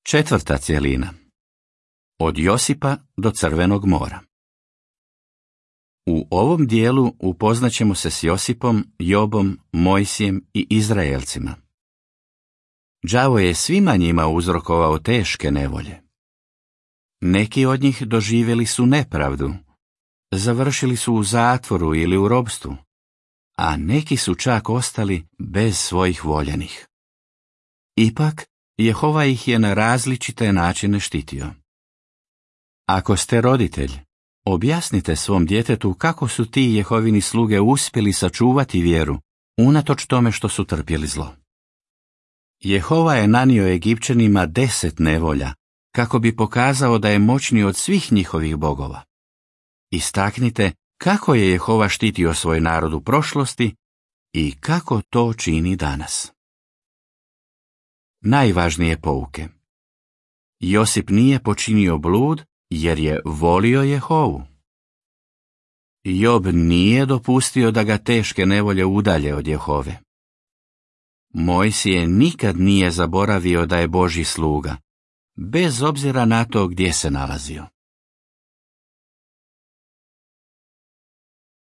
Četvrta cjelina. Od Josipa do Crvenog mora. U ovom dijelu upoznaćemo se s Josipom, Jobom, Mojsijem i Izraelcima. Đavo je svima njima uzrokovao teške nevolje. Neki od njih doživjeli su nepravdu, završili su u zatvoru ili u ropstvu, a neki su čak ostali bez svojih voljenih. Ipak, Jehova ih je na različite načine štitio. Ako ste roditelj, objasnite svom djetetu kako su ti Jehovini sluge uspjeli sačuvati vjeru, unatoč tome što su trpjeli zlo. Jehova je nanio Egipćanima 10 nevolja, kako bi pokazao da je moćniji od svih njihovih bogova. Istaknite kako je Jehova štitio svoj narod u prošlosti i kako to čini danas. Najvažnije pouke. Josip nije počinio blud jer je volio Jehovu. Job nije dopustio da ga teške nevolje udalje od Jehove. Mojsije nikad nije zaboravio da je Božji sluga, bez obzira na to gdje se nalazio.